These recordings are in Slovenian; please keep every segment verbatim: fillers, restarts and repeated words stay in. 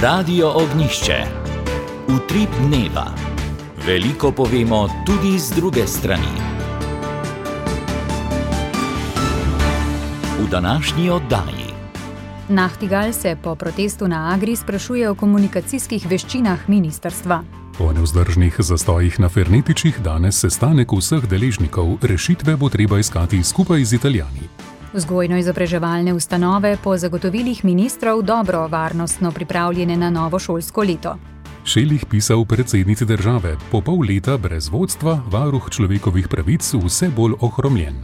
Radio Ognjišče. Utrip dneva. Veliko povemo tudi z druge strani. V današnji oddaji. Nachtigal se po protestu na Agri sprašuje o komunikacijskih veščinah ministrstva. Po nevzdržnih zastojih na Fernetičih danes sestanek vseh deležnikov, rešitve bo treba iskati skupaj z Italijani. Vzgojno-izobraževalne ustanove po zagotovilih ministrov dobro varnostno pripravljene na novo šolsko leto. Šelih pisal predsednici države, po pol leta brez vodstva, varuh človekovih pravic vse bolj ohromljen.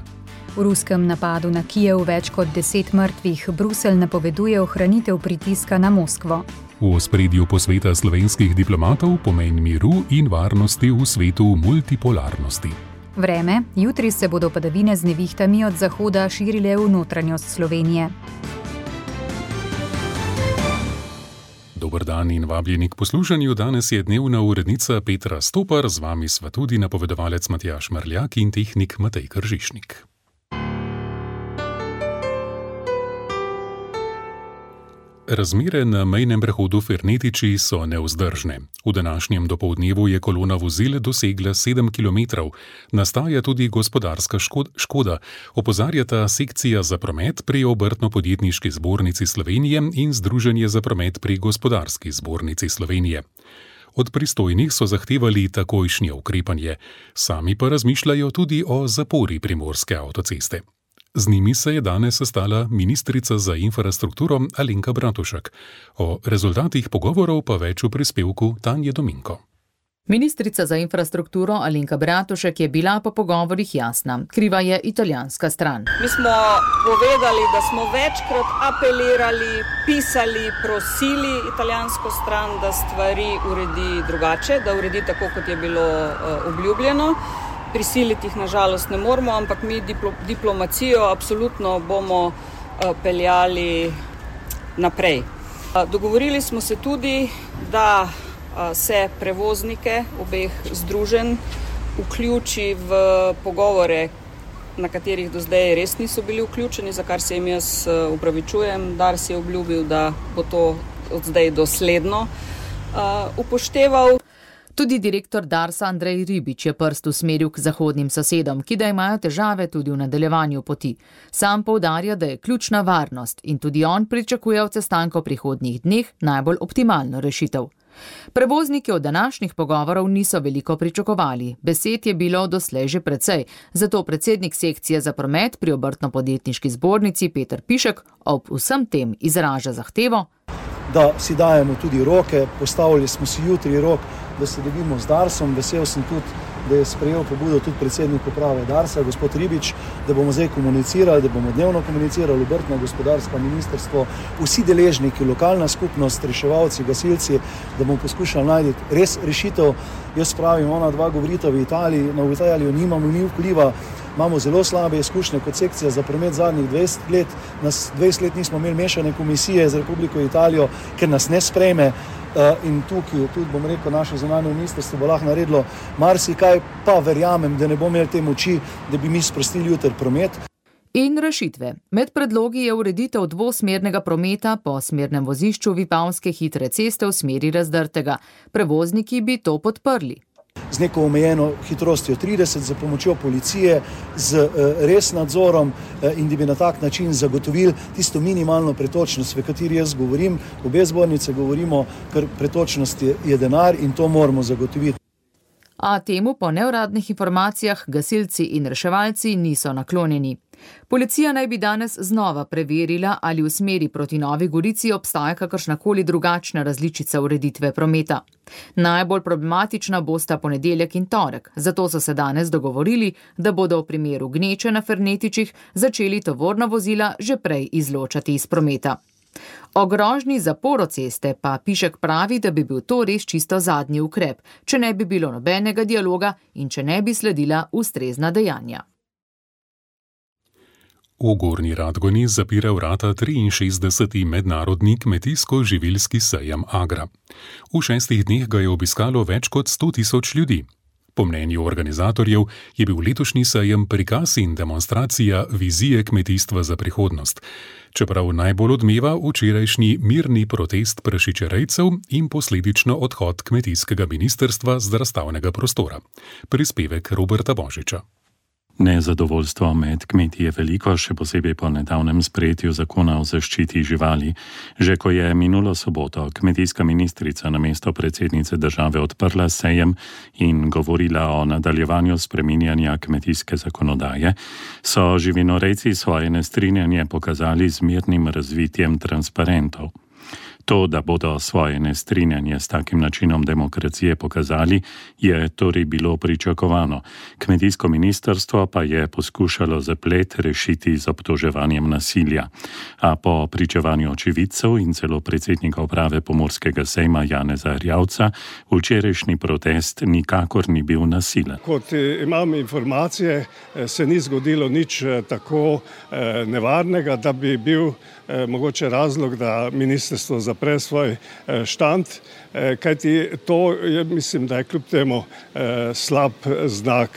V ruskem napadu na Kijev več kot deset mrtvih, Bruselj napoveduje ohranitev pritiska na Moskvo. V ospredju posveta slovenskih diplomatov pomen miru in varnosti v svetu multipolarnosti. Vreme, jutri se bodo padavine z nevihtami od zahoda širile v notranjost Slovenije. Dober dan in vabljeni k poslušanju. Danes je dnevna urednica Petra Stopar, z vami sva tudi napovedovalec Matjaž Marljak in tehnik Matej Kržišnik. Razmere na mejnem prehodu Fernetiči so nevzdržne. V današnjem dopoldnevu je kolona vozil dosegla sedem kilometrov. Nastaja tudi gospodarska škoda, opozarjata sekcija za promet pri Obrtno-podjetniški zbornici Slovenije in Združenje za promet pri Gospodarski zbornici Slovenije. Od pristojnih so zahtevali takojšnje ukrepanje, sami pa razmišljajo tudi o zapori Primorske avtoceste. Z njimi se je danes sestala ministrica za infrastrukturo Alenka Bratušek. O rezultatih pogovorov pa več v prispevku Tanje Dominko. Ministrica za infrastrukturo Alenka Bratušek je bila po pogovorih jasna. Kriva je italijanska stran. Mi smo povedali, da smo večkrat apelirali, pisali, prosili italijansko stran, da stvari uredi drugače, da uredi tako, kot je bilo uh, obljubljeno. Prisiliti jih nažalost ne moramo, ampak mi diplo, diplomacijo absolutno bomo uh, peljali naprej. Uh, dogovorili smo se tudi, da uh, se prevoznike obeh združenj vključi v pogovore, na katerih do zdaj res niso bili vključeni, za kar se jim jaz uh, upravičujem. Dars je obljubil, da bo to od zdaj dosledno uh, upošteval. Tudi direktor Darsa Andrej Ribič je prst usmeril k zahodnim sosedom, ki da imajo težave tudi v nadaljevanju poti. Sam poudarja, da je ključna varnost in tudi on pričakuje od sestanka v prihodnjih dneh najbolj optimalno rešitev. Prevozniki od današnjih pogovorov niso veliko pričakovali. Besed je bilo doslej že precej, zato predsednik sekcije za promet pri Obrtno-podjetniški zbornici Peter Pišek ob vsem tem izraža zahtevo, da si dajemo tudi roke, postavili smo si jutri rok, da se dobimo z Darsom. Vesel sem tudi, da je sprejel pobudo tudi predsednik uprave Darsa, gospod Ribič, da bomo zdaj komunicirali, da bomo dnevno komunicirali, obrtno, gospodarsko ministrstvo, vsi deležniki, lokalna skupnost, reševalci, gasilci, da bomo poskušali najti res rešitev. Jaz pravim, ona dva govorita v Italiji, na Italijo nimamo ni vpliva, imamo zelo slabe izkušnje kot sekcija za promet zadnjih dvajset let, nas dvajset let nismo imeli mešane komisije z Republiko Italijo, ker nas ne sprejme. In tukaj, tudi bom rekel, naše zunanje ministrstvo bo lahko naredilo marsikaj, pa verjamem, da ne bomo imeli te moči, da bi mi sprostili jutri promet. In rešitve. Med predlogi je ureditev dvosmernega prometa po smernem vozišču Vipavske hitre ceste v smeri Razdrtega. Prevozniki bi to podprli. Z neko omejeno hitrostjo trideset, za pomočjo policije, z uh, res nadzorom uh, in da bi na tak način zagotovili tisto minimalno pretočnost, v kateri jaz govorim. Obe zbornice govorimo, ker pretočnost je, je denar in to moramo zagotoviti. A temu po neuradnih informacijah gasilci in reševalci niso naklonjeni. Policija naj bi danes znova preverila, ali v smeri proti Novi Gorici obstaja kakršnakoli drugačna različica ureditve prometa. Najbolj problematična bosta ponedeljek in torek, zato so se danes dogovorili, da bodo v primeru gneče na Fernetičih začeli tovorna vozila že prej izločati iz prometa. O grožnji zaporo ceste pa Pišek pravi, da bi bil to res čisto zadnji ukrep, če ne bi bilo nobenega dialoga in če ne bi sledila ustrezna dejanja. V Gornji Radgoni zapira vrata triinšestdeseti mednarodni kmetijsko-živilski sejem Agra. V šestih dneh ga je obiskalo več kot sto tisoč ljudi. Po mnenju organizatorjev je bil letošnji sejem prikaz in demonstracija vizije kmetijstva za prihodnost. Čeprav najbolj odmeva včerajšnji mirni protest prašičerejcev in posledično odhod kmetijskega ministrstva z razstavnega prostora. Prispevek Roberta Božiča. Nezadovoljstvo med kmeti je veliko, še posebej po nedavnem sprejetju zakona o zaščiti živali. Že ko je minulo soboto kmetijska ministrica namesto predsednice države odprla sejem in govorila o nadaljevanju spreminjanja kmetijske zakonodaje, so živinorejci svoje nestrinjanje pokazali z mirnim razvitjem transparentov. To, da bodo svoje nestrinjanje s takim načinom demokracije pokazali, je torej bilo pričakovano. Kmetijsko ministrstvo pa je poskušalo zaplet rešiti z obtoževanjem nasilja. A po pričevanju očividcev in celo predsednika uprave Pomurskega sejma Janeza Erjavca, včerajšnji protest nikakor ni bil nasilen. Kot imam informacije, se ni zgodilo nič tako nevarnega, da bi bil mogoče razlog, da ministrstvo zapre svoj štand, kajti to je, mislim, da je kljub temu slab znak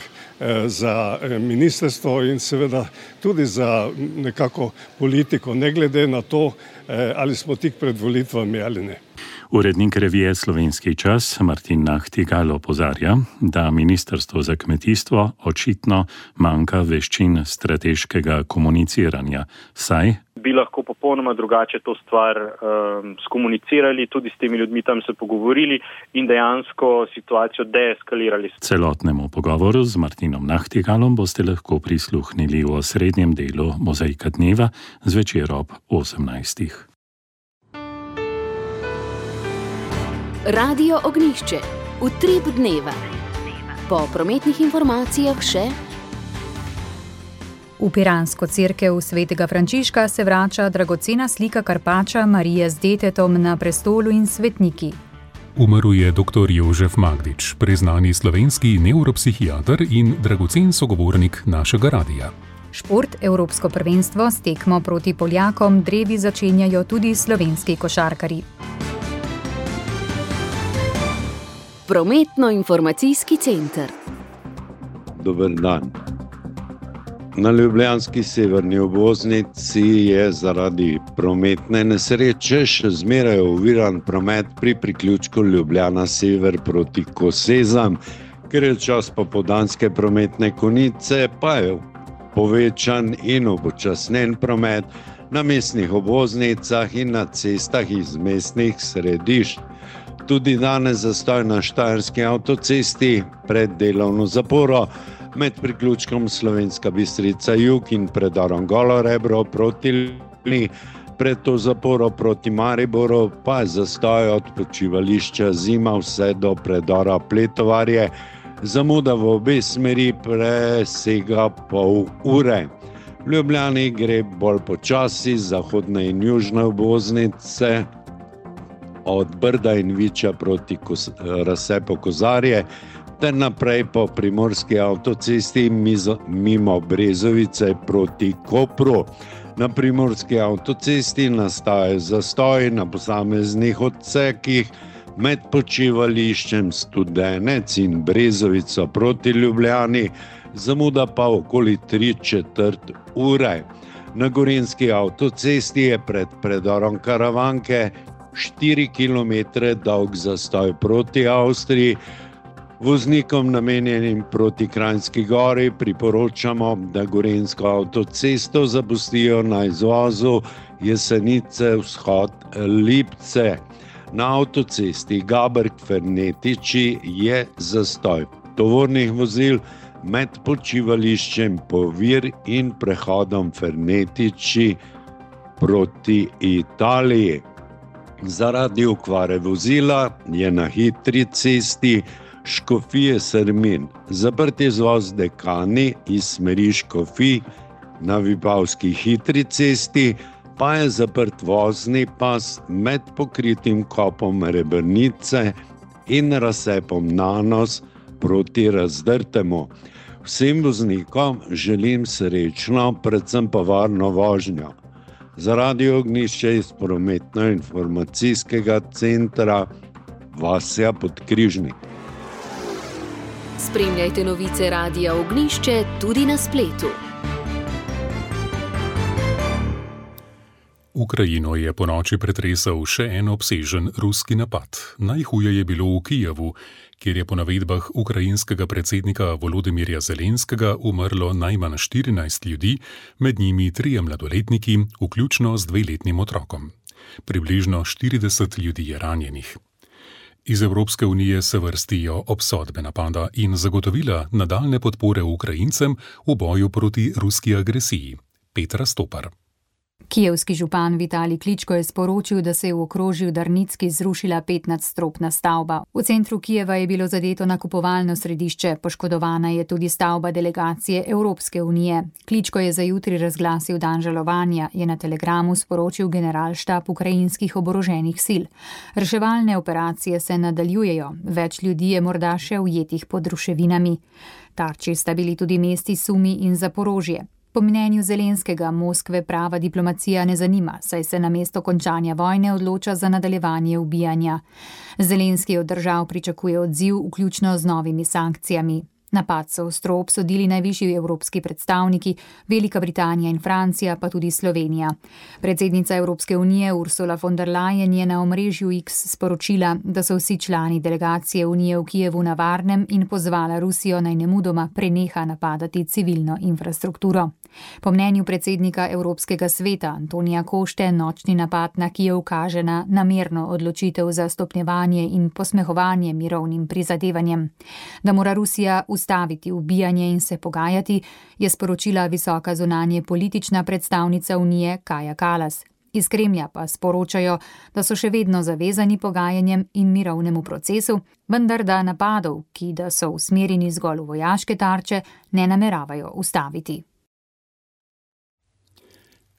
za ministrstvo in seveda tudi za nekako politiko, ne glede na to, ali smo tik pred volitvami ali ne. Urednik revije Slovenski čas Martin Nahtigal opozarja, da ministrstvo za kmetijstvo očitno manjka veščin strateškega komuniciranja, saj bi lahko popolnoma drugače to stvar um, skomunicirali, tudi s temi ljudmi tam se pogovorili in dejansko situacijo deeskalirali. Celotnemu pogovoru z Martinom Nahtigalom boste lahko prisluhnili v osrednjem delu Mozaika dneva zvečer ob osemnajstih. Radio Ognjišče. Utrip dneva. Po prometnih informacijah še V piransko cerkev svetega Frančiška se vrača dragocena slika Karpača Marije z detetom na prestolu in svetniki. Umrl je doktor Jožef Magdič, priznani slovenski nevropsihiater in dragocen sogovornik našega radija. Šport, evropsko prvenstvo s tekmo proti Poljakom drevi začenjajo tudi slovenski košarkarji. Prometno-informacijski center. Dober dan. Na ljubljanski severni obvoznici je zaradi prometne nesreče še zmeraj oviran promet pri priključku Ljubljana sever proti Kosezam, ker je čas popoldanske prometne konice, pa je povečan in upočasnen promet na mestnih obvoznicah in na cestah iz mestnih središč. Tudi danes zastoj na Štajerski avtocesti pred delovno zaporo med priključkom Slovenska Bistrica jug in predorom Golo Rebro proti Ljubljani, pred to zaporo proti Mariboru pa je zastoj od počivališča Zima vse do predora Pletovarje. Zamuda v obe smeri presega pol ure. V Ljubljani gre bolj počasi zahodne in južne obvoznice od Brda in Viča proti razcepu Kozarje ter naprej po primorski avtocesti mimo Brezovice proti Kopru. Na primorski avtocesti nastaja zastoj na posameznih odsekih med počivališčem Studenec in Brezovico proti Ljubljani, zamuda pa okoli tri četrt ure. Na gorenjski avtocesti je pred predorom Karavanke štiri kilometre dolg zastoj proti Avstriji. Voznikom namenjenim proti Kranjski Gori priporočamo, da gorenjsko avtocesto zapustijo na izvozu Jesenice vzhod Lipce. Na avtocesti Gaberg-Fernetiči je zastoj tovornih vozil med počivališčem Povir in prehodom Fernetiči proti Italiji. Zaradi okvare vozila je na hitri cesti Škofije Sermin zaprt izvoz Dekani iz smeri Škofij, na Vipavski hitri cesti pa je zaprt vozni pas med pokritim kopom Rebrnice in razcepom Nanos proti Razdrtemu. Vsem voznikom želim srečno, predvsem pa varno vožnjo. Za Radio Ognjišče iz prometno-informacijskega centra Vasja Podkrižnik. Spremljajte novice Radia Ognjišče tudi na spletu. Ukrajino je ponoči pretresal še en obsežen ruski napad. Najhuje je bilo v Kijevu, kjer je po navedbah ukrajinskega predsednika Volodimirja Zelenskega umrlo najmanj štirinajst ljudi, med njimi trije mladoletniki, vključno z dveletnim otrokom. Približno štirideset ljudi je ranjenih. Iz Evropske unije se vrstijo obsodbe napada in zagotovila nadaljne podpore Ukrajincem v boju proti ruski agresiji. Petra Stopar. Kijevski župan Vitalij Kličko je sporočil, da se je v okrožju Darnicki zrušila petnadstropna stavba. V centru Kijeva je bilo zadeto nakupovalno središče, poškodovana je tudi stavba delegacije Evropske unije. Kličko je za jutri razglasil dan žalovanja, je na telegramu sporočil generalštab ukrajinskih oboroženih sil. Reševalne operacije se nadaljujejo, več ljudi je morda še ujetih pod ruševinami. Tarči sta bili tudi mesti Sumi in Zaporožje. Po mnenju Zelenskega Moskve prava diplomacija ne zanima, saj se namesto končanja vojne odloča za nadaljevanje ubijanja. Zelenski od držav pričakuje odziv, vključno z novimi sankcijami. Napad so ostro obsodili najvišji evropski predstavniki, Velika Britanija in Francija, pa tudi Slovenija. Predsednica Evropske unije Ursula von der Leyen je na omrežju X sporočila, da so vsi člani delegacije unije v Kijevu na varnem in pozvala Rusijo naj nemudoma preneha napadati civilno infrastrukturo. Po mnenju predsednika Evropskega sveta Antonija Košte nočni napad na Kijev kaže na namerno odločitev za stopnjevanje in posmehovanje mirovnim prizadevanjem. Da mora Rusija ustaviti ubijanje in se pogajati, je sporočila visoka zunanje politična predstavnica Unije Kaja Kallas. Iz Kremlja pa sporočajo, da so še vedno zavezani pogajanjem in mirovnemu procesu, vendar da napadov, ki da so usmerjeni zgolj v vojaške tarče, ne nameravajo ustaviti.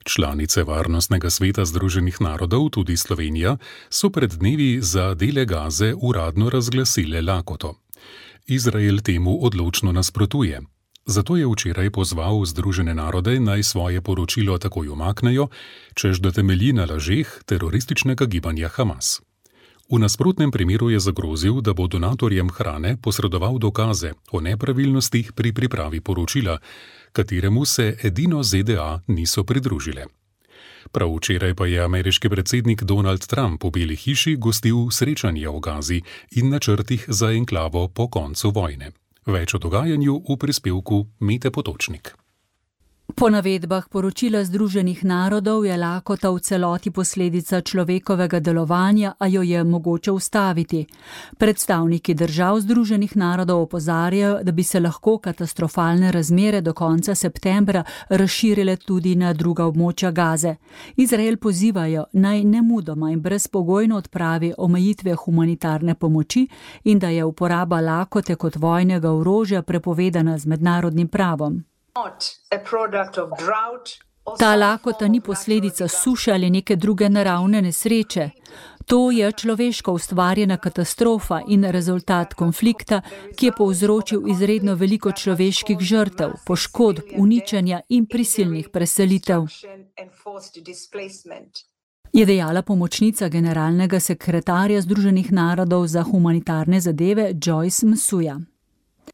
Članice Varnostnega sveta Združenih narodov, tudi Slovenija, so pred dnevi za dele Gaze uradno razglasile lakoto. Izrael temu odločno nasprotuje. Zato je včeraj pozval Združene narode naj svoje poročilo takoj umaknejo, čež da temelji na lažeh terorističnega gibanja Hamas. V nasprotnem primeru je zagrozil, da bo donatorjem hrane posredoval dokaze o nepravilnostih pri pripravi poročila, kateremu se edino Z D A niso pridružile. Prav včeraj pa je ameriški predsednik Donald Trump v Beli hiši gostil srečanje o Gazi in načrtih za enklavo po koncu vojne. Več o dogajanju v prispevku Mete Potočnik. Po navedbah poročila Združenih narodov je lakota v celoti posledica človekovega delovanja, a jo je mogoče ustaviti. Predstavniki držav Združenih narodov opozarjajo, da bi se lahko katastrofalne razmere do konca septembra razširile tudi na druga območja Gaze. Izrael pozivajo naj nemudoma in brezpogojno odpravi omejitve humanitarne pomoči in da je uporaba lakote kot vojnega orožja prepovedana z mednarodnim pravom. Ta lakota ni posledica suše ali neke druge naravne nesreče. To je človeško ustvarjena katastrofa in rezultat konflikta, ki je povzročil izredno veliko človeških žrtev, poškodb, uničenja in prisilnih preselitev, je dejala pomočnica generalnega sekretarja Združenih narodov za humanitarne zadeve Joyce Msuja.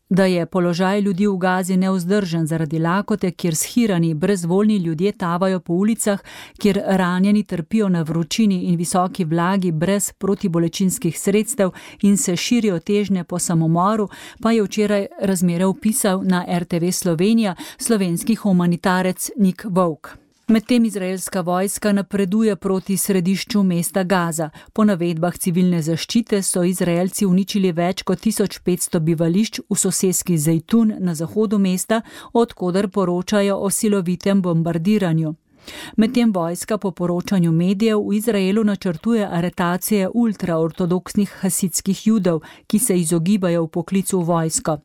Da je položaj ljudi v Gazi nevzdržen zaradi lakote, kjer shirani, brezvoljni ljudje tavajo po ulicah, kjer ranjeni trpijo na vročini in visoki vlagi brez protibolečinskih sredstev in se širijo težnje po samomoru, pa je včeraj razmere opisal na R T V Slovenija slovenski humanitarec Nik Vovk. Medtem izraelska vojska napreduje proti središču mesta Gaza. Po navedbah civilne zaščite so Izraelci uničili več kot tisoč petsto bivališč v soseski Zejtun na zahodu mesta, od koder poročajo o silovitem bombardiranju. Medtem vojska po poročanju medijev v Izraelu načrtuje aretacije ultraortodoksnih hasidskih judov, ki se izogibajo v poklicu v vojsko.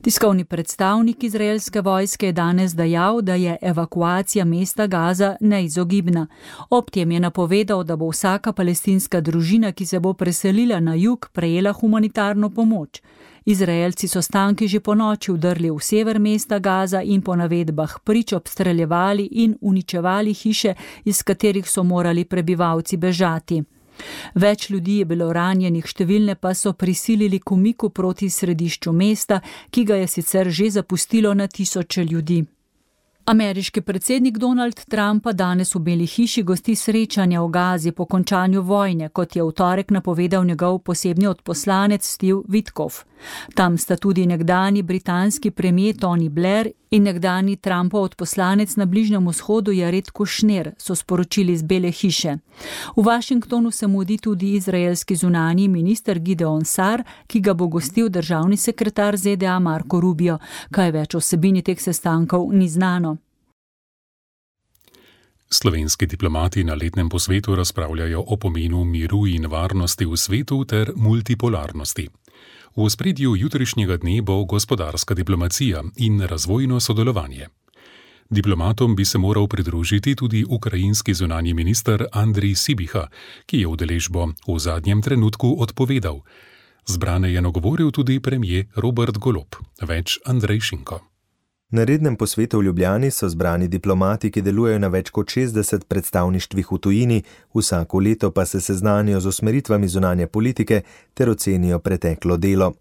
Tiskovni predstavnik izraelske vojske je danes dejal, da je evakuacija mesta Gaza neizogibna. Ob tem je napovedal, da bo vsaka palestinska družina, ki se bo preselila na jug, prejela humanitarno pomoč. Izraelci so s tanki že ponoči vdrli v sever mesta Gaza in po navedbah prič obstreljevali in uničevali hiše, iz katerih so morali prebivalci bežati. Več ljudi je bilo ranjenih, številne pa so prisilili k umiku proti središču mesta, ki ga je sicer že zapustilo na tisoče ljudi. Ameriški predsednik Donald Trump pa danes v Beli hiši gosti srečanja v Gazi po končanju vojne, kot je v torek napovedal njegov posebni odposlanec Steve Witkoff. Tam sta tudi nekdani britanski premier Tony Blair in nekdani Trumpov odposlanec na Bližnjem vzhodu Jared Kushner, so sporočili iz Bele hiše. V Washingtonu se mudi tudi izraelski zunanji minister Gideon Sar, ki ga bo gostil državni sekretar Z D A Marco Rubio. Kaj več o vsebini teh sestankov ni znano. Slovenski diplomati na letnem posvetu razpravljajo o pomenu miru in varnosti v svetu ter multipolarnosti. V ospredju jutrišnjega dne bo gospodarska diplomacija in razvojno sodelovanje. Diplomatom bi se moral pridružiti tudi ukrajinski zunanji minister Andrij Sibiha, ki je udeležbo v zadnjem trenutku odpovedal. Zbrane je nagovoril tudi premier Robert Golob. Več Andrej Šinko. Na rednem posvetu v Ljubljani so zbrani diplomati, ki delujejo na več kot šestdeset predstavništvih v tujini, vsako leto pa se seznanijo z usmeritvami zunanje politike ter ocenijo preteklo delo.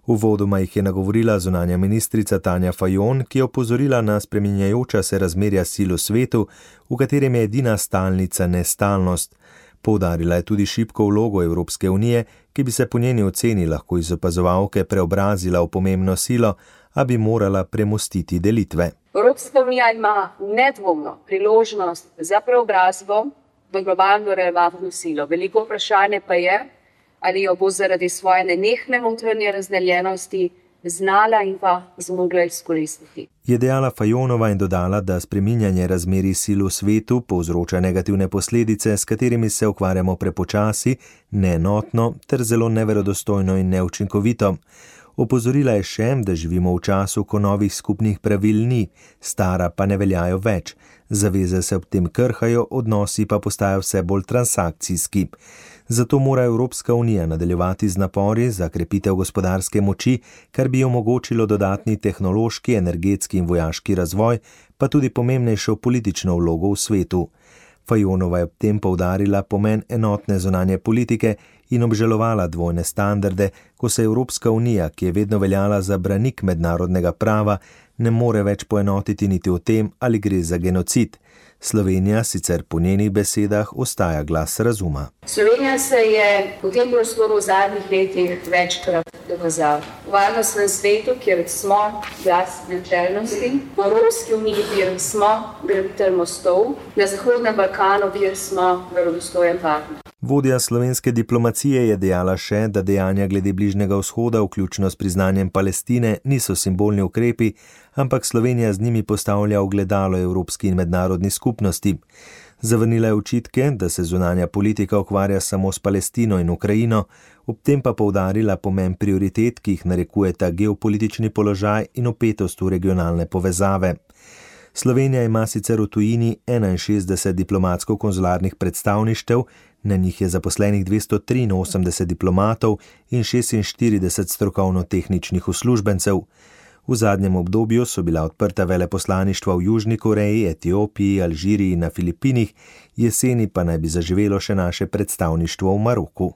Uvodoma jih je nagovorila zunanja ministrica Tanja Fajon, ki je opozorila na spreminjajoča se razmerja sil v svetu, v katerem je edina stalnica nestalnost. Poudarila je tudi šibko vlogo Evropske unije, ki bi se po njeni oceni lahko iz opazovalke preobrazila v pomembno silo, a bi morala premostiti delitve. Evropska unija ima nedvomno priložnost za preobrazbo v globalno relevantno silo. Veliko vprašanje pa je, ali jo bo zaradi svoje nenehne notranje razdeljenosti znala in pa zmogla izkoristiti. Je dejala Fajonova in dodala, da spreminjanje razmerij sil v svetu povzroča negativne posledice, s katerimi se ukvarjamo prepočasi, neenotno ter zelo neverodostojno in neučinkovito. Opozorila je še, da živimo v času, ko novih skupnih pravil ni, stara pa ne veljajo več. Zaveze se ob tem krhajo, odnosi pa postajajo vse bolj transakcijski. Zato mora Evropska unija nadaljevati z napori za krepitev gospodarske moči, kar bi omogočilo dodatni tehnološki, energetski in vojaški razvoj, pa tudi pomembnejšo politično vlogo v svetu. Fajonova je ob tem poudarila pomen enotne zunanje politike in obžalovala dvojne standarde, ko se Evropska unija, ki je vedno veljala za branik mednarodnega prava, ne more več poenotiti niti o tem, ali gre za genocid. Slovenija sicer po njenih besedah ostaja glas razuma. Slovenija se je v tem prostoru v zadnjih letih večkrat dokazala. V varnostnem svetu, kjer smo glas načelnosti, v Evropski uniji, kjer smo graditelj mostov, na Zahodnem Balkanu, kjer smo verodostojen partner. Vodja slovenske diplomacije je dejala še, da dejanja glede Bližnjega vzhoda, vključno s priznanjem Palestine, niso simbolni ukrepi, ampak Slovenija z njimi postavlja ogledalo evropski in mednarodni skupnosti. Zavrnila je očitke, da se zunanja politika ukvarja samo s Palestino in Ukrajino, ob tem pa poudarila pomen prioritet, ki jih narekujeta geopolitični položaj in vpetost v regionalne povezave. Slovenija ima sicer v tujini enainšestdeset diplomatsko-konzularnih predstavništev, na njih je zaposlenih dvesto triinosemdeset diplomatov in šestinštirideset strokovno-tehničnih uslužbencev. V zadnjem obdobju so bila odprta veleposlaništva v Južni Koreji, Etiopiji, Alžiriji in na Filipinih, jeseni pa naj bi zaživelo še naše predstavništvo v Maroku.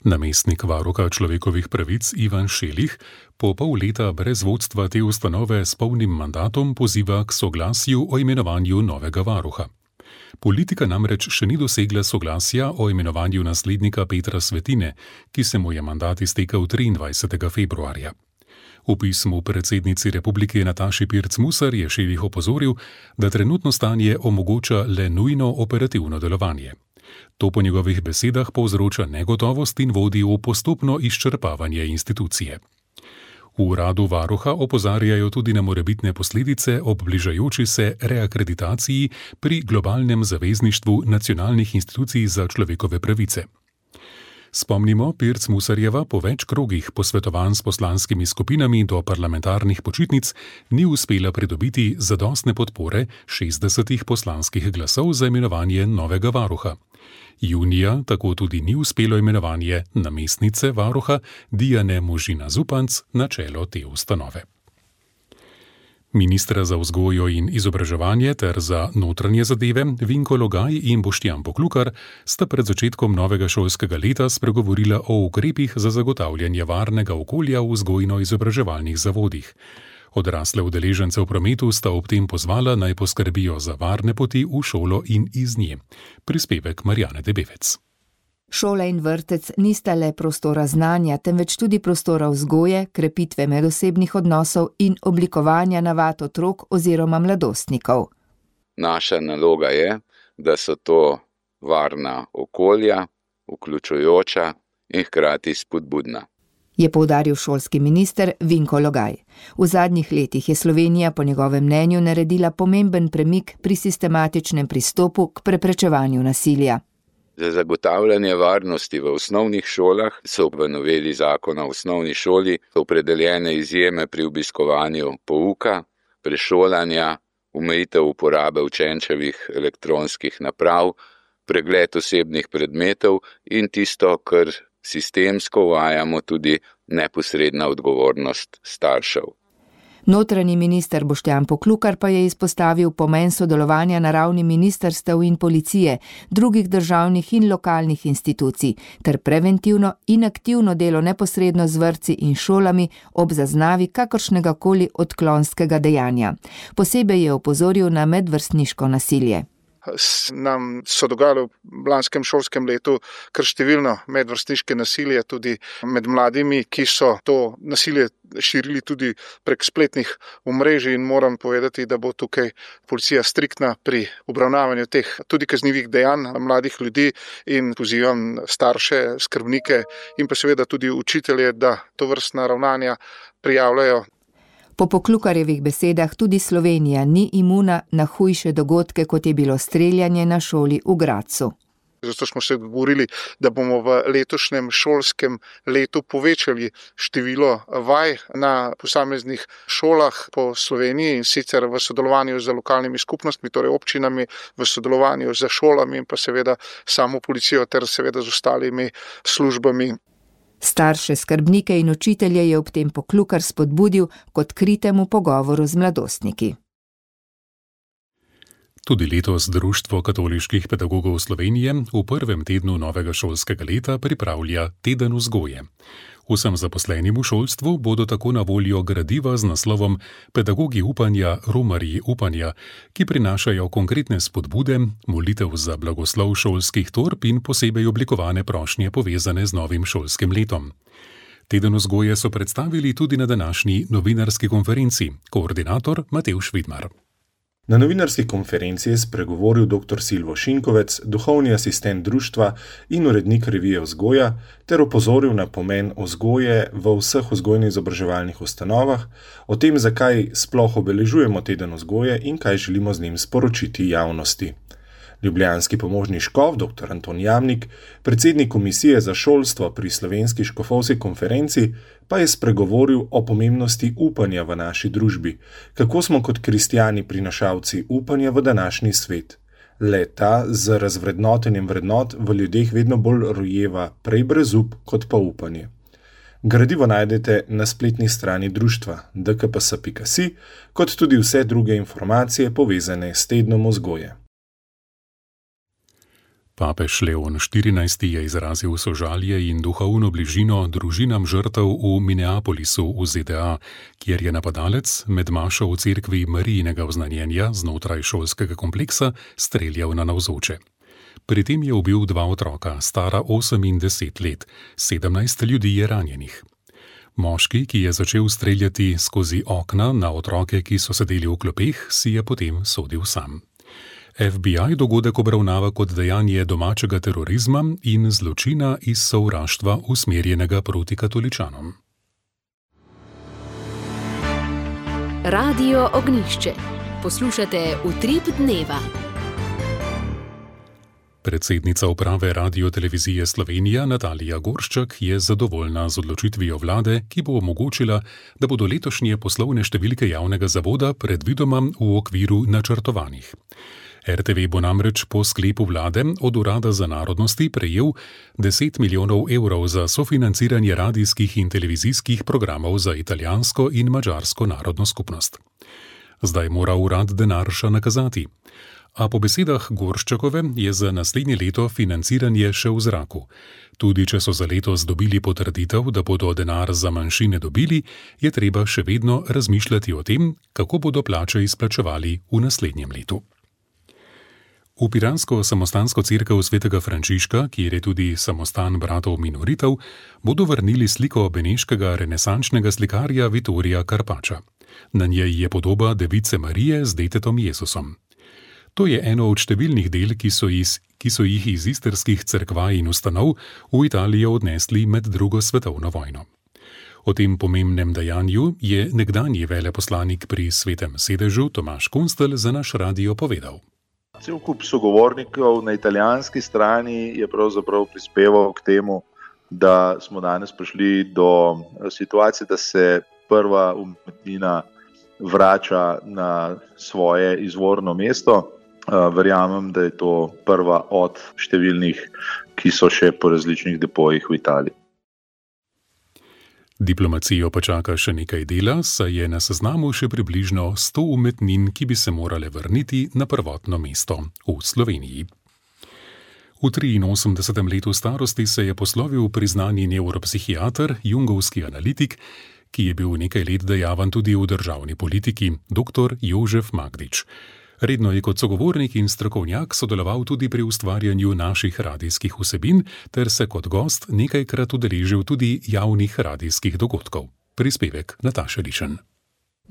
Namestnik varuha človekovih pravic Ivan Šelih po pol leta brez vodstva te ustanove s polnim mandatom poziva k soglasju o imenovanju novega varuha. Politika namreč še ni dosegla soglasja o imenovanju naslednika Petra Svetine, ki se mu je mandat iztekel triindvajsetega februarja. V pismu predsednici republike Nataši Pirc Musar je Šelih opozoril, da trenutno stanje omogoča le nujno operativno delovanje. To po njegovih besedah povzroča negotovost in vodi v postopno izčrpavanje institucije. V uradu varuha opozarjajo tudi na morebitne posledice ob bližajoči se reakreditaciji pri globalnem zavezništvu nacionalnih institucij za človekove pravice. Spomnimo, Pirc Musarjeva po več krogih posvetovanj s poslanskimi skupinami do parlamentarnih počitnic ni uspela pridobiti zadostne podpore šestdesetih poslanskih glasov za imenovanje novega varuha. Junija tako tudi ni uspelo imenovanje namestnice varuha Dijane Možina Zupanc na čelo te ustanove. Ministra za vzgojo in izobraževanje ter za notranje zadeve Vinko Logaj in Boštjan Poklukar sta pred začetkom novega šolskega leta spregovorila o ukrepih za zagotavljanje varnega okolja v vzgojno-izobraževalnih zavodih. Odrasle udeležence v prometu sta ob tem pozvala, naj poskrbijo za varne poti v šolo in iz nje. Prispevek Marjane Debevec. Šola in vrtec nista le prostora znanja, temveč tudi prostora vzgoje, krepitve medosebnih odnosov in oblikovanja navad otrok oziroma mladostnikov. Naša naloga je, da so to varna okolja, vključujoča in hkrati spodbudna. Je poudaril šolski minister Vinko Logaj. V zadnjih letih je Slovenija po njegovem mnenju naredila pomemben premik pri sistematičnem pristopu k preprečevanju nasilja. Za zagotavljanje varnosti v osnovnih šolah so v noveli zakona o osnovni šoli opredeljene izjeme pri obiskovanju pouka, prešolanja, omejitev uporabe učenčevih elektronskih naprav, pregled osebnih predmetov in tisto, kar sistemsko uvajamo, tudi neposredna odgovornost staršev. Notranji minister Boštjan Poklukar pa je izpostavil pomen sodelovanja na ravni ministrstev in policije, drugih državnih in lokalnih institucij, ter preventivno in aktivno delo neposredno z vrtci in šolami ob zaznavi kakršnega koli odklonskega dejanja. Posebej je opozoril na medvrstniško nasilje. Nam so dogajalo v lanskem šolskem letu kar številno medvrstniške nasilje tudi med mladimi, ki so to nasilje širili tudi prek spletnih omrežij, in moram povedati, da bo tukaj policija striktna pri obravnavanju teh tudi kaznivih dejanj mladih ljudi, in pozivam starše, skrbnike in pa seveda tudi učitelje, da tovrstna ravnanja prijavljajo. Po Poklukarjevih besedah tudi Slovenija ni imuna na hujše dogodke, kot je bilo streljanje na šoli v Gradcu. Zato smo se dogovorili, da bomo v letošnjem šolskem letu povečali število vaj na posameznih šolah po Sloveniji, in sicer v sodelovanju z lokalnimi skupnostmi, torej občinami, v sodelovanju z šolami in pa seveda samo policijo ter seveda z ostalimi službami. Starše, skrbnike in učitelje je ob tem Poklukar spodbudil k odkritemu pogovoru z mladostniki. Tudi letos Društvo katoliških pedagogov Slovenije v prvem tednu novega šolskega leta pripravlja Teden vzgoje. Vsem zaposlenim v šolstvu bodo tako na voljo gradiva z naslovom Pedagogi upanja, romarji upanja, ki prinašajo konkretne spodbude, molitev za blagoslov šolskih torb in posebej oblikovane prošnje povezane z novim šolskim letom. Teden vzgoje so predstavili tudi na današnji novinarski konferenci, koordinator Matevž Vidmar. Na novinarski konferenci je spregovoril dr. Silvo Šinkovec, duhovni asistent društva in urednik revije Vzgoja, ter opozoril na pomen vzgoje v vseh vzgojno-izobraževalnih ustanovah, o tem, zakaj sploh obeležujemo teden vzgoje in kaj želimo z njim sporočiti javnosti. Ljubljanski pomožni škof dr. Anton Jamnik, predsednik komisije za šolstvo pri Slovenski škofovski konferenci, pa je spregovoril o pomembnosti upanja v naši družbi, kako smo kot kristjani prinašalci upanja v današnji svet. Le-ta z razvrednotenjem vrednot v ljudeh vedno bolj rojeva prej brezup kot pa upanje. Gradivo najdete na spletni strani društva d k p s pika si, kot tudi vse druge informacije povezane s tednom vzgoje. Papež Leon štirinajsti je izrazil sožalje in duhovno bližino družinam žrtev v Minneapolisu v Z D A, kjer je napadalec med mašo v cerkvi Marijinega oznanjenja znotraj šolskega kompleksa streljal na navzoče. Pri tem je ubil dva otroka, stara osem in deset let, sedemnajst ljudi je ranjenih. Moški, ki je začel streljati skozi okna na otroke, ki so sedeli v klopeh, si je potem sodil sam. F B I dogodek obravnava kot dejanje domačega terorizma in zločina iz sovraštva usmerjenega proti katoličanom. Radio Ognjišče. Poslušate Utrip dneva. Predsednica uprave Radiotelevizije Slovenija Natalija Gorščak je zadovoljna z odločitvijo vlade, ki bo omogočila, da bodo letošnje poslovne številke javnega zavoda predvidoma v okviru načrtovanih. R T V bo namreč po sklepu vlade od Urada za narodnosti prejel deset milijonov evrov za sofinanciranje radijskih in televizijskih programov za italijansko in madžarsko narodno skupnost. Zdaj mora urad denar še nakazati. A po besedah Gorščakove je za naslednje leto financiranje še v zraku. Tudi če so za letos dobili potrditev, da bodo denar za manjšine dobili, je treba še vedno razmišljati o tem, kako bodo plače izplačevali v naslednjem letu. V piransko samostansko cerkev svetega Frančiška, kjer je tudi samostan bratov minoritov, bodo vrnili sliko beneškega renesančnega slikarja Vittorija Carpaccia. Na njej je podoba Device Marije z detetom Jezusom. To je eno od številnih del, ki so, iz, ki so jih iz istrskih cerkva in ustanov v Italijo odnesli med drugo svetovno vojno. O tem pomembnem dejanju je nekdanji veleposlanik pri Svetem sedežu Tomaž Kunstelj za naš radio povedal. Cel kup sogovornikov na italijanski strani je pravzaprav prispeval k temu, da smo danes prišli do situacije, da se prva umetnina vrača na svoje izvorno mesto. Verjamem, da je to prva od številnih, ki so še po različnih depojih v Italiji. Diplomacijo pa čaka še nekaj dela, saj je na seznamu še približno sto umetnin, ki bi se morale vrniti na prvotno mesto v Sloveniji. V triinosemdesetem letu starosti se je poslovil priznani nevropsihiater, jungovski analitik, ki je bil nekaj let dejaven tudi v državni politiki, doktor Jožef Magdič. Redno je kot sogovornik in strokovnjak sodeloval tudi pri ustvarjanju naših radijskih vsebin ter se kot gost nekajkrat udeležil tudi javnih radijskih dogodkov. Prispevek Nataše Lišen.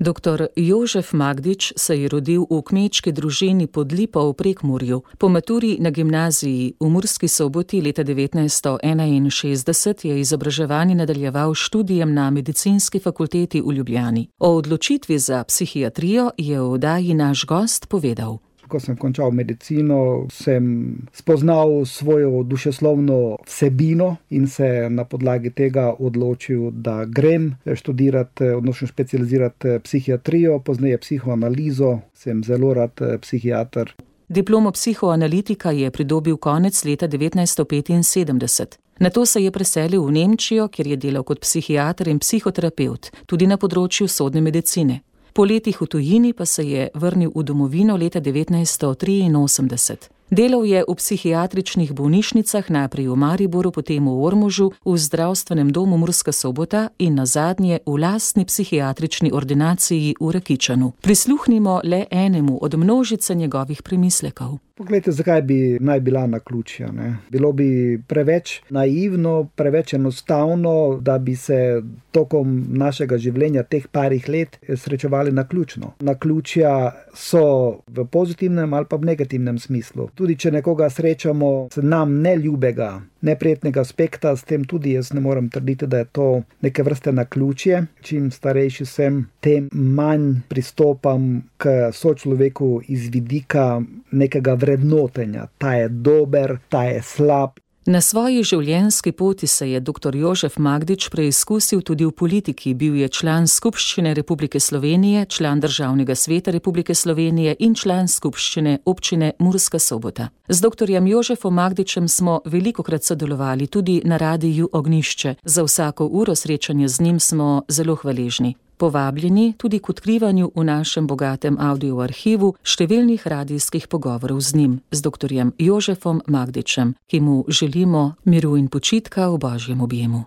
Doktor Jožef Magdič se je rodil v kmečki družini pod Lipo v Prekmurju. Po maturi na gimnaziji v Murski Soboti leta devetnajststo enainšestdeset je izobraževanje nadaljeval študijem na medicinski fakulteti v Ljubljani. O odločitvi za psihiatrijo je v oddaji naš gost povedal. Ko sem končal medicino, sem spoznal svojo dušeslovno vsebino in se na podlagi tega odločil, da grem študirati, odnosno specializirati psihiatrijo, pozneje psihoanalizo, sem zelo rad psihiater. Diplomo psihoanalitika je pridobil konec leta devetnajststo petinsedemdeset. Nato se je preselil v Nemčijo, kjer je delal kot psihiater in psihoterapevt, tudi na področju sodne medicine. Po letih v tujini pa se je vrnil v domovino leta devetnajststo triinosemdeset. Delal je v psihiatričnih bolnišnicah, najprej v Mariboru, potem v Ormožu, v zdravstvenem domu Murska Sobota in nazadnje v lastni psihiatrični ordinaciji v Rakičanu. Prisluhnimo le enemu od množice njegovih premislekov. Poglejte, zakaj bi naj bila naključja, ne? Bilo bi preveč naivno, preveč enostavno, da bi se tokom našega življenja teh parih let srečevali naključno. Naključja so v pozitivnem ali pa v negativnem smislu. Tudi če nekoga srečamo z nam neljubega, neprijetnega aspekta, s tem tudi jaz ne morem trditi, da je to neke vrste naključje. Čim starejši sem, tem manj pristopam k sočloveku iz vidika nekega vrednotenja. Ta je dober, ta je slab. Na svoji življenjski poti se je doktor Jožef Magdič preizkusil tudi v politiki. Bil je član Skupščine Republike Slovenije, član Državnega sveta Republike Slovenije in član Skupščine občine Murska Sobota. Z doktorjem Jožefom Magdičem smo velikokrat sodelovali tudi na radiju Ognjišče. Za vsako uro srečanja z njim smo zelo hvaležni. Povabljeni tudi k odkrivanju v našem bogatem audioarhivu številnih radijskih pogovorov z njim, z doktorjem Jožefom Magdičem, ki mu želimo miru in počitka v Božjem objemu.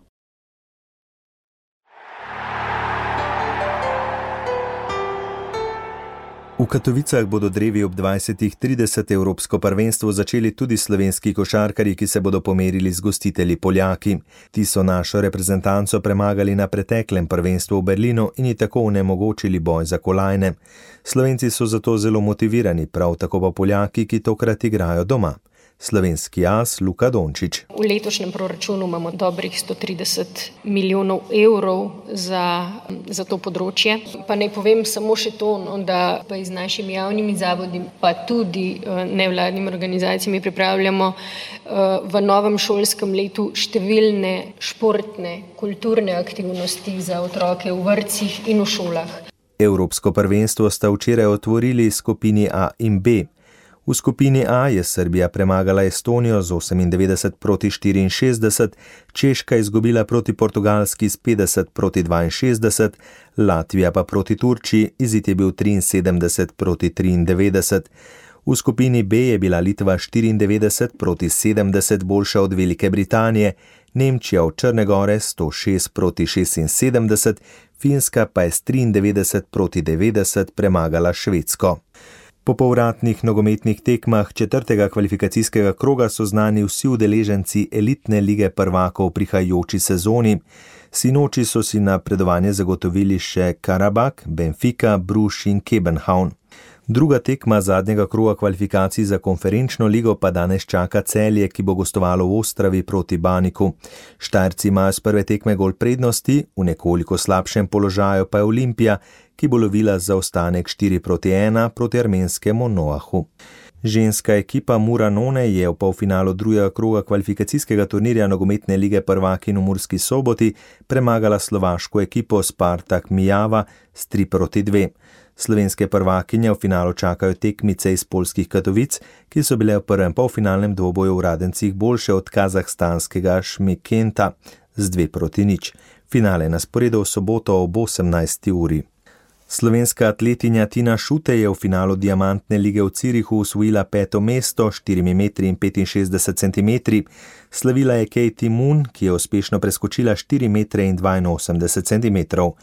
V Katovicah bodo drevi ob dvajsetih trideset evropsko prvenstvo začeli tudi slovenski košarkarji, ki se bodo pomerili z gostitelji Poljaki. Ti so našo reprezentanco premagali na preteklem prvenstvu v Berlinu in ji tako onemogočili boj za kolajne. Slovenci so zato zelo motivirani, prav tako pa Poljaki, ki tokrat igrajo doma. Slovenski as Luka Dončić. V letošnjem proračunu imamo dobrih sto trideset milijonov evrov za, za to področje. Pa naj povem samo še to, no, da pa z našimi javnimi zavodi, pa tudi nevladnimi organizacijami pripravljamo v novem šolskem letu številne športne, kulturne aktivnosti za otroke v vrtcih in v šolah. Evropsko prvenstvo sta včeraj otvorili skupini A in B. V skupini A je Srbija premagala Estonijo z osemindevetdeset proti štiriinšestdeset, Češka izgubila proti Portugalski s petdeset proti dvainšestdeset, Latvija pa proti Turčiji, izid je bil triinsedemdeset proti triindevetdeset. V skupini B je bila Litva štiriindevetdeset proti sedemdeset boljša od Velike Britanije, Nemčija od Črne Gore sto šest proti šestinsedemdeset, Finska pa je s triindevetdeset proti devetdeset premagala Švedsko. Po povratnih nogometnih tekmah četrtega kvalifikacijskega kroga so znani vsi udeleženci elitne lige prvakov v prihajajoči sezoni. Sinoči so si napredovanje zagotovili še Karabakh, Benfica, Bruges in Kebenhavn. Druga tekma zadnjega kroga kvalifikacij za konferenčno ligo pa danes čaka Celje, ki bo gostovalo v Ostravi proti Baniku. Štajerci imajo z prve tekme gol prednosti, v nekoliko slabšem položaju pa je Olimpija, ki bo lovila zaostanek štiri proti ena proti armenskemu Noahu. Ženska ekipa Muranone je v polfinalu drugega kroga kvalifikacijskega turnirja nogometne lige prvakinj v Murski Soboti premagala slovaško ekipo Spartak Mijava s tri proti dve. Slovenske prvakinje v finalu čakajo tekmice iz poljskih Katovic, ki so bile v prvem polfinalnem dvoboju v Radencih boljše od kazahstanskega Šmikenta z dve proti nič. Finale na sporedu v soboto ob osemnajsti uri. Slovenska atletinja Tina Šutej je v finalu diamantne lige v Cirihu osvojila peto mesto s štirimi metri in petinšestdeset centimetri. Slavila je Katie Moon, ki je uspešno preskočila štiri metre in dvainosemdeset centimetrov.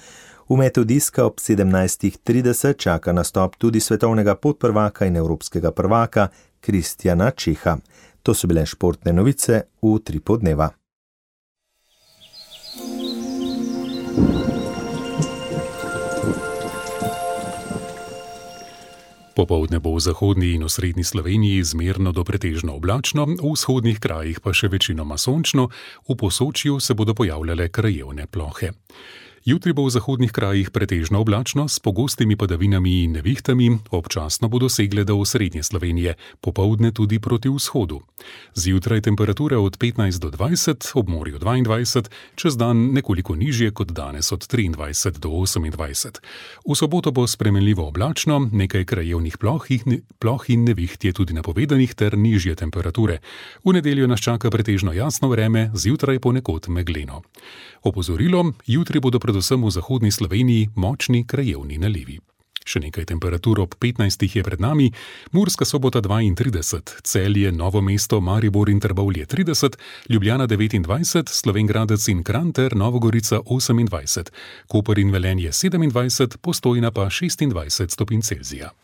V metu diska ob sedemnajstih trideset čaka nastop tudi svetovnega podprvaka in evropskega prvaka Kristjana Čeha. To so bile športne novice v Utripu dneva. Popoldne bo v zahodni in osrednji Sloveniji zmerno do pretežno oblačno, v vzhodnih krajih pa še večinoma sončno, v Posočju se bodo pojavljale krajevne plohe. Jutri bo v zahodnih krajih pretežno oblačno s pogostimi padavinami in nevihtami, občasno bodo segle do osrednje Slovenije, popoldne tudi proti vzhodu. Zjutraj temperature od petnajst do dvajset, ob morju dvaindvajset, čez dan nekoliko nižje kot danes od triindvajset do osemindvajset. V soboto bo spremenljivo oblačno, nekaj krajevnih ploh in, ploh in neviht je tudi napovedanih ter nižje temperature. V nedeljo nas čaka pretežno jasno vreme, zjutraj ponekod megleno. Opozorilo, jutri bodo predvsem v zahodni Sloveniji močni krajevni nalivi. Še nekaj temperatur ob petnajstih je pred nami, Murska Sobota dvaintrideset, Celje, Novo mesto, Maribor in Trbovlje trideset, Ljubljana devetindvajset, Slovenj Gradec in Kranj ter Novogorica osemindvajset, Koper in Velenje sedemindvajset, Postojna pa šestindvajset stopinj Celzija.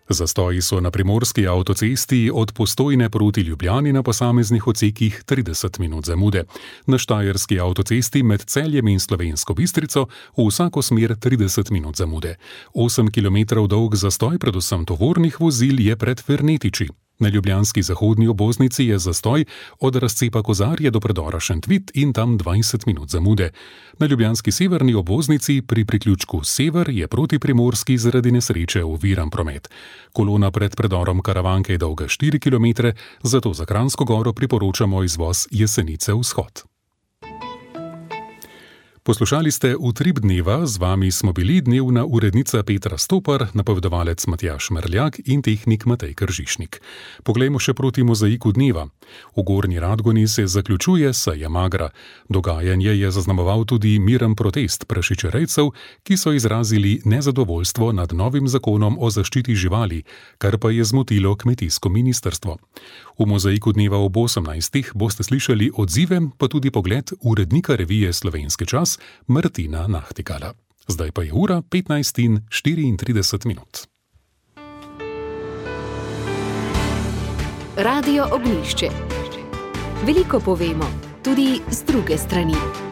Zastoji so na primorski avtocesti od Postojne proti Ljubljani na posameznih odsekih trideset minut zamude. Na štajerski avtocesti med Celjem in Slovensko Bistrico v vsako smer trideset minut zamude. osem kilometrov dolg zastoj predvsem tovornih vozil je pred Fernetiči. Na ljubljanski zahodni obvoznici je zastoj od razcepa Kozarje do predora Šentvit in tam dvajset minut zamude. Na ljubljanski severni obvoznici pri priključku Sever je proti Primorski zaradi nesreče oviran promet. Kolona pred predorom Karavanke je dolga štiri kilometre, zato za Kranjsko Goro priporočamo izvoz Jesenice vzhod. Poslušali ste Utrip dneva, z vami smo bili dnevna urednica Petra Stopar, napovedovalec Matjaž Merljak in tehnik Matej Kržišnik. Poglejmo še proti mozaiku dneva. V Gornji Radgoni se zaključuje seja Magra. Dogajanje je zaznamoval tudi miren protest prašičerejcev, ki so izrazili nezadovoljstvo nad novim zakonom o zaščiti živali, kar pa je zmotilo kmetijsko ministrstvo. V mozaiku dneva ob osemnajstih boste slišali odzive, pa tudi pogled urednika revije Slovenski čas Martina Nahtikala. Zdaj pa je ura petnajst in štiriintrideset minut. Radio Ognjišče. Veliko povemo, tudi z druge strani.